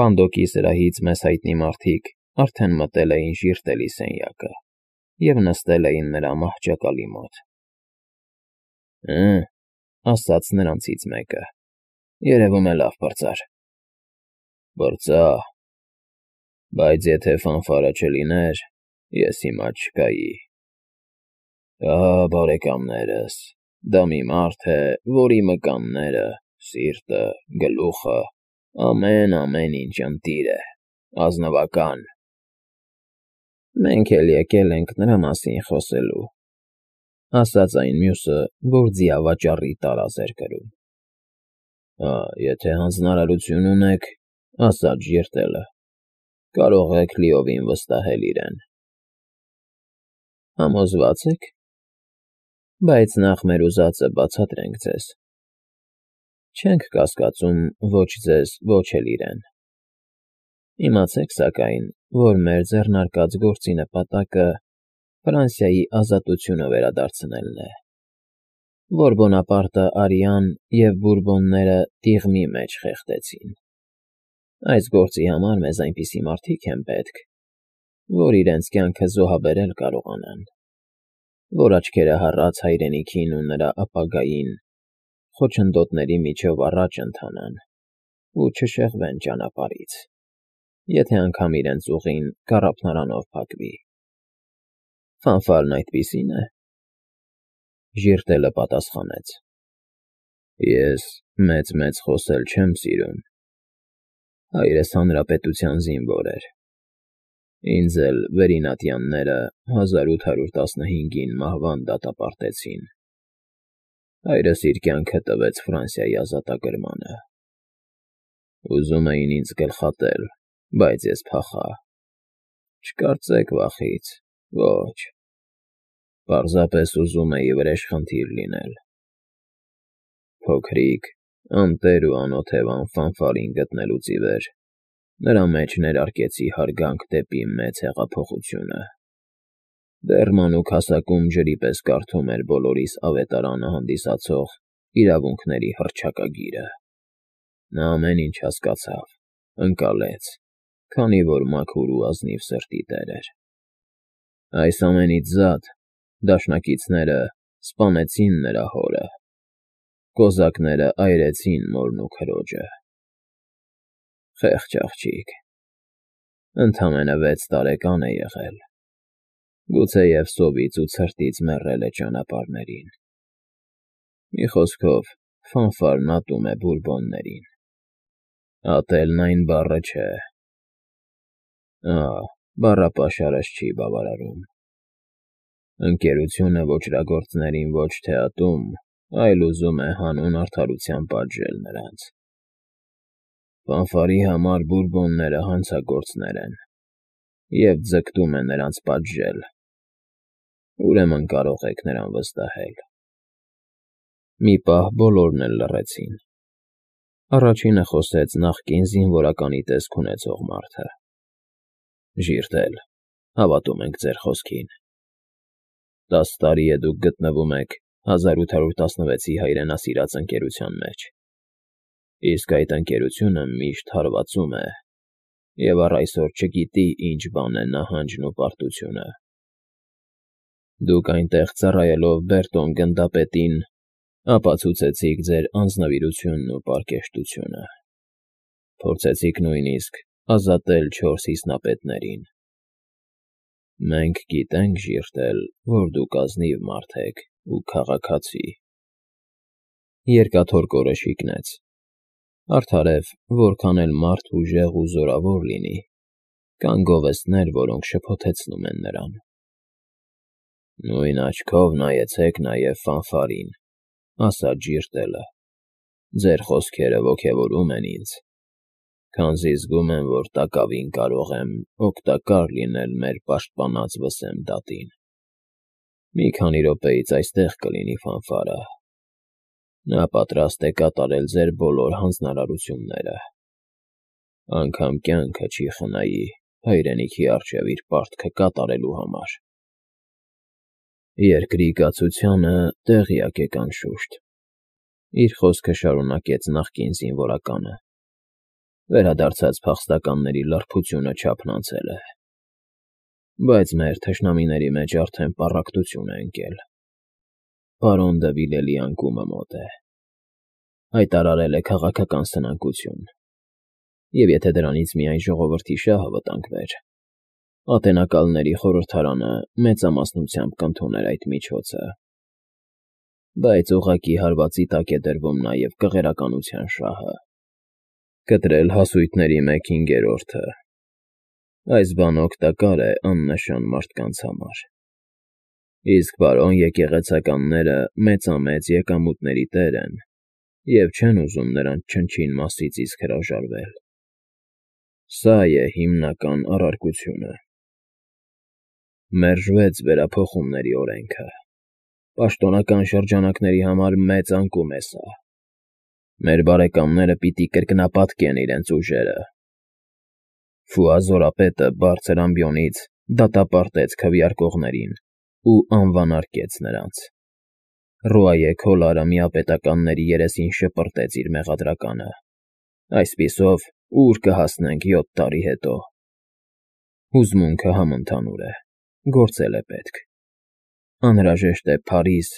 Պանդոկի սրահից մեզ հայտնի մարդիկ արդեն մտել էին ժիրտելի սենյակը և նստել էին նրա մահճակալի մոտ։ «Հը,֊ ասաց նրանցից մեկը,֊ երևում է լավ պրծար»։ «Պրծա, բայց եթե ֆանֆարը չլիներ, ես հիմա չկայի։ Ահա, բարեկամներս, դա մի մարդ է, որի մկանները, սիրտը, գլուխը, ամեն ինչ ընտիր է, ազնվական»։ «Մենք էլ եկել ենք նրա մասին խոսելու», ասաց այն մյուսը, որ ձիավաճառի տարազ էր կրում։ «Հա, եթե հանձնարարություն ունեք,֊ ասաց ժիրտելը,֊ կարող եք լիովին վստահել իրեն»։ «Համոզվա՞ծ եք։ Բայց նախ մեր ուզածը բացատրենք ձեզ. չենք կասկածում ոչ ձեզ, ոչ էլ իրեն։ Իմացեք, սակայն, որ մեր ձեռնարկած գործի նպատակը Ֆրանսիայի ազատությունը վերադարձնելն է, որ Բոնապարտը արիան և Բուրբոնները տիղմի մեջ խեղդեցին։ Այս գործի համար մեզ այնպիսի մարդիկ են պետք, որ իրենց կյանքը զոհաբերել կարողանան, որ աչքերը հառած հայրենիքին ու նրա ապագային խոչընդոտների միջով առաջ ընթանան ու չշեղվեն ճանապարհից, եթե անգամ իրենց ուղին կառափնարանով փակվի։ Ֆանֆարն այդպիսի՞ն է։ Ժիրտելը պատասխանեց. «Ես մեծ խոսել չեմ սիրում։ Հայրս հանրապետության զինվոր էր։ Ինձ էլ վերինատյանները 1815-ին մահվան դատապարտեցին։ Հայրս իր կյանքը տվեց Ֆրանսիայի ազատագրմանը։ Ուզում էին ինձ գլխատել, բայց ես փախա։ Չկարծեք վախից, ոչ, պարզապես ուզում էի վրեժխնդիր լինել։ Փոքրիկ, անտեր ու անօթևան Ֆանֆարին գտնելուց ի վեր նրա մեջ ներարկեցի հարգանք դեպի մեծ հեղափոխությունը։ Դեռ մանուկ հասակում ջրի պես կարդում էր բոլորիս ավետարանը հանդիսացող իրավունքների հռչակագիրը։ Նա ամեն ինչ հասկացավ, ընկալեց, քանի որ մաքուր ու ազնիվ սրտի տեր էր։ Այս ամենից զատ դաշնակիցները սպանեցին նրա հորը, կոզակները այրեցին մորն ու քրոջը։ Խեղճ աղջիկ, ընդամենը 6 տարեկան է եղել, գուցեև սովից ու ցրտից մեռել է ճանապարհներին։ Մի խոսքով, Ֆանֆարն ատում է Բուրբոններին։ Ատելն այն բառը չէ։ Բառապաշարս չի բավարարում։ Ընկերությունը ոճրագործներին ոչ թե ատում, այլ ուզում է հանուն արդարության պատժել նրանց։ Ֆանֆարի համար Բուրբոնները հանցագործներ են և ձգտում է նրանց պատժել։ Ուրեմն կարող եք նրան վստահել։ Մի պահ բոլորն էլ լռեցին։ Առաջինը խոսեց նախկին զինվորականի տեսք ունեցող մարդը։ Ժիրտել, հավատում ենք ձեր խոսքին։ 10 տարի է դուք գտնվում եք 1816-ի հայրենասիրած ընկերության մեջ, իսկ այդ ընկերությունը միշտ հարվածում է և առ այսօր չգիտի ինչ բան է նահանջն ու պարտությունը։ Դուք այնտեղ ծառայելով Բերտոն գնդապետին ապացուցեցիք ձեր անձնվիրությունն ու պարկեշտությունը։ Փորձեցիք նույնիսկ ազատել 4 հիմնապետներին։ Մենք գիտենք, ժիրտել, որ դուք ազնիվ մարդ եք ու քաղաքացի։ Երկաթոռ շիկնեց։ Արդարև, որքան էլ մարդ ուժեղ ու զորավոր լինի, կան գովեստներ, որոնք շփոթեցնում են նրան։ Նույն աչքով նայեցեք նաև Ֆանֆարին, ասաց ժիրտելը։ Ձեր խոսքերը ոգևորում են ինձ, քանզի զգում եմ, որ տակավին կարող եմ օգտակար լինել մեր պաշտպանած վսեմ դատին։ Մի քանի րոպեից այստեղ կլինի Ֆանֆարը։ Նա պատրաստ է կատարել ձեր բոլոր հանձնարարությունները։ Անգամ կյանքը չի խնայի հայրենիքի առջև իր պարտքը կատարելու համար։ Երկրի կացությանը տեղյակ եք անշուշտ, իր խոսքը շարունակեց նախկին զինվորականը։ Վերադարձած փախստականների լրբությունը չափն անցել է, բայց մեր թշնամիների մեջ արդեն պառակտություն է ընկել։ Պարոն դը Վիլելի անկումը մոտ է, հայտարարել է քաղաքական սնանկություն, և եթե դրանից միայն ժողովրդի շահը վտանգվեր, Ատենակալների խորհրդարանը մեծամասնությամբ կընդուներ այդ միջոցը, բայց ուղղակի հարվածի տակ է դրվում նաև կղերականության շահը։ Կտրել հասույթների 1/5-ը։ Այս բան օգտակար է աննշան մարդկանց համար։ Իսկ պարոն եկեղեցականները մեծամեծ եկամուտների տեր են և չեն ուզում նրանց չնչին մասից իսկ հրաժարվել։ Սա է հիմնական առարկությունը։ Մերժվեց վերափոխումների օրենքը։ Պաշտոնական շրջանակների համար մեծ անկում է սա։ Մեր բարեկամները պիտի կրկնապատկեն իրենց ուժերը։ Ֆուազորապետը բարձր ամբիոնից դատապարտեց քվեարկողներին ու անվանարկեց նրանց։ Ռուայե Քոլարը միապետականների երեսին շպրտեց իր մեղադրականը։ Այսպիսով, ուր կհասնենք 7 տարի հետո։ Հուզմունքը համընդհանուր է, գործել է պետք։ Անհրաժեշտ է Փարիզ,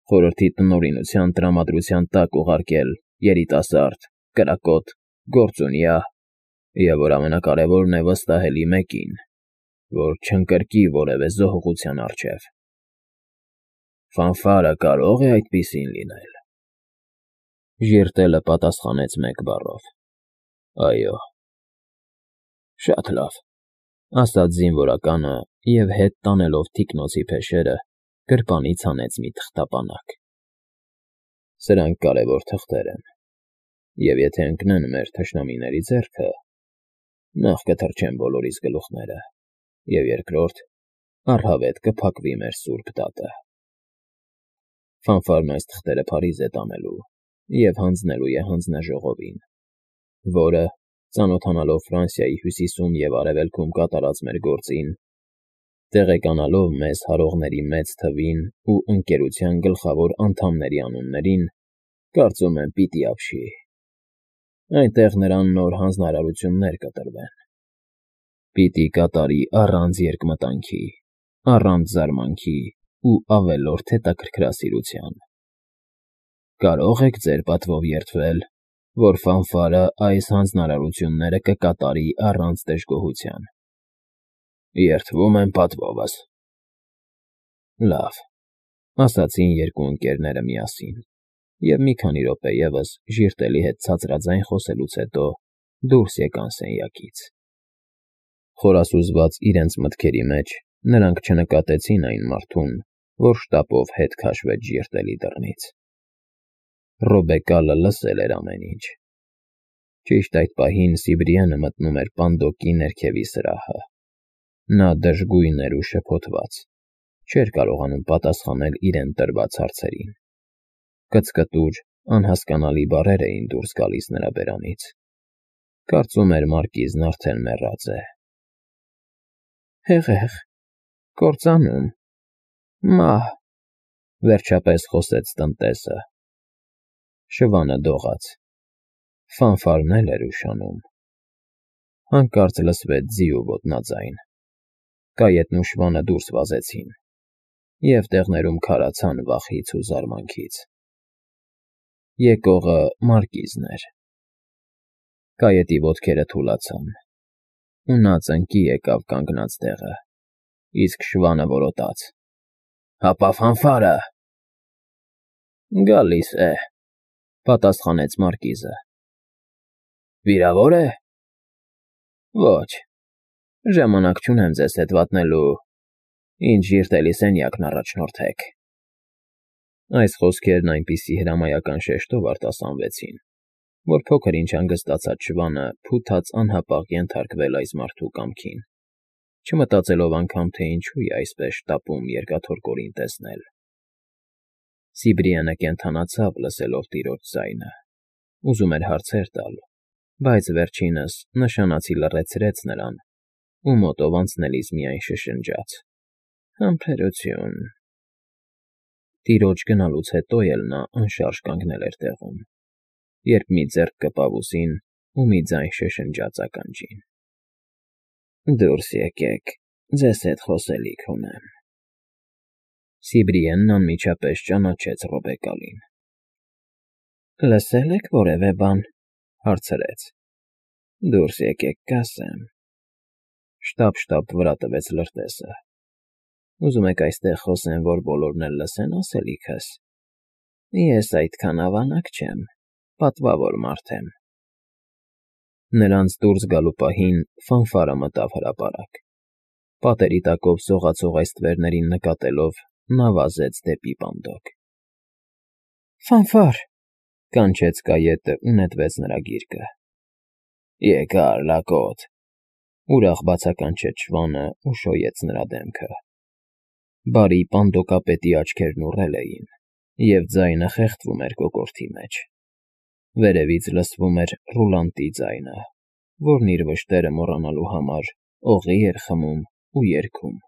խորհրդի տնօրինության տրամադրության տակ ուղարկել երիտասարդ, կրակոտ, գործունյա և, որ ամենակարևորն է, վստահելի մեկին, որ չընկրկի որևէ զոհողության առջև։ Ֆանֆարը կարո՞ղ է այդպիսին լինել։ Ժիրտելը պատասխանեց մեկ բառով. Այո։ Շատ լավ, ասաց զինվորականը և հետ տանելով թիկնոցի փեշերը, գրպանից հանեց մի թղթապանակ։ Սրանք կարևոր թղթեր են, և եթե ընկնեն մեր թշնամիների ձեռքը, նախ կթրջեն բոլորիս գլուխները, և երկրորդ, առհավետ կփակվի մեր սուրբ դատը։ Ֆանֆարն այս թղթերը Փարիզ է տանելու և հանձնելու է հանձնաժողովին, որը, ծանոթանալով Ֆրանսիայի հյուսիսում և արևելքում կատարած մեր գործին, տեղեկանալով մեզ հարողների մեծ թվին ու ընկերության գլխավոր անդամների անուններին, կարծում եմ պիտի ապշի։ Այնտեղ նրան նոր հանձնարարություններ կտրվեն։ Պիտի կատարի առանց երկմտանքի, առանց զարմանքի ու ավելորդ հետաքրքրասիրության։ Կարո՞ղ եք ձեր պատվով երդվել, որ Ֆանֆարը այս հանձնարարությունները կկատարի առանց դժգոհության։ Երդվում եմ պատվովս։ Լավ, ասացին երկու ընկերները միասին, և մի քանի րոպե ևս ժիրտելի հետ ցածրաձայն խոսելուց հետո դուրս եկան սենյակից։ Խորասուզված իրենց մտքերի մեջ նրանք չնկատեցին այն մարդուն, որ շտապով հետ քաշվեց ժիրտելի դռնից։ Ռոբեկալը լսել էր ամեն ինչ։ Ճիշտ այդ պահին Սիբրիանը մտնում էր պանդոկի ներքևի սրահը։ Նա դժգույն էր ու շփոթված, չէր կարողանում պատասխանել իրեն տրված հարցերին։ Կծկտուր, անհասկանալի բառեր էին դուրս գալիս նրա բերանից։ Կարծում էր մարկիզն արդեն մեռած է։ Հեղեղ, կործանում, մահ, վերջապես խոսեց տնտեսը։ Շվանը դողաց։ Ֆանֆարն էլ էր ուշանում։ Հանկարծ լսվեց ձի ու ոտնաձայն։ Կայետն ու շվանը դուրս վազեցին, և տեղներում քարացան վախից ու զարմանքից։ Եկողը մարկիզն էր։ Կայետի ոտքերը թուլացան, ու նա ծնկի եկավ կանգնած տեղը, իսկ շվանը որոտաց. Հապա Ֆանֆարը… Գալիս է, պատասխանեց մարկիզը։ Վիրավոր է։ Ոչ, ժամանակ չունեմ ձեզ հետ վատնելու, ինձ ժիրտելի սենյակն առաջնորդեք։ Այս խոսքերն այնպիսի հրամայական շեշտով արտասանվեցին, որ փոքր-ինչ հանգստացած շվանը փութաց անհապաղ ենթարկվել այս մարդու կամքին, չմտածելով անգամ, թե ինչու է այսպես շտապում երկաթորկորին տեսնել։ Սիբրիանը կենդանացավ լսելով տիրոջ ձայնը, ուզում էր հարցեր տալ, բայց վերջինս նշանացի լռեցրեց նրան ու մոտով անցնելիս միայն շշնջաց. Համբերություն։ Տիրոջ գնալուց հետո էլ նա անշարժ կանգնել էր տեղում, երբ մի ձեռք կպավ ուսին, ու մի ձայն շշնջաց ականջին. «Դուրս եկեք, ձեզ հետ խոսելիք ունեմ»։ Սիբրիենն անմիջապես ճանաչեց Ռոբեկալին։ «Լսել եք որևէ բան»։ Հարցրեց։ «Դուրս եկեք, կասեմ»։ Շտապ վրա տվեց լրտեսը։ «Ուզում եք այստեղ խոսեմ, որ բոլորն էլ լսեն ասելիքս։ Ես այդքան ավանակ չեմ, պատվավոր մարդ եմ»։ Նրանց դուրս գալու պահին ֆանֆարը մտավ հրապարակ։ Պատերի տակով սողացող այս ստվերներին նկատելով՝ նա վազեց դեպի պանդոկ։ «Ֆանֆար», կանչեց կայետը ու նետվեց նրա գիրկը։ «Եկա՛ր, լակոտ», ուրախ բացականչեց շվանը ու շոյեց նրա դեմքը։ Բարի պանդոկապետի աչքերն ուռել էին, և ձայնը խեղդվում էր կոկորդի մեջ։ Վերևից լսվում էր ռուլանտի ձայնը, որն իր վշտերը մոռանալու համար օղի էր խմում ու երգում։